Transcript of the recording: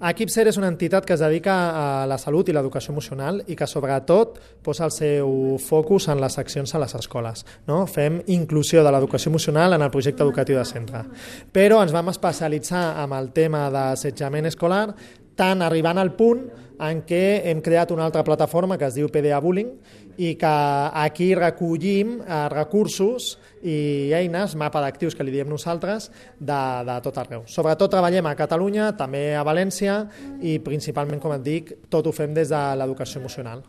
Equipser és una entitat que es dedica a la salut i l'educació emocional i que sobretot posa el seu focus en les accions a les escoles. No? Fem inclusió de l'educació emocional en el projecte educatiu de centre. Però ens vam especialitzar en el tema d'assetjament escolar, tant arribant al punt en què hem creat una altra plataforma que es diu PDA Bullying i que aquí recollim recursos i eines, mapa d'actius que li diem nosaltres, de tot arreu. Sobretot treballem a Catalunya, també a València i principalment, com et dic, tot ho fem des de l'educació emocional.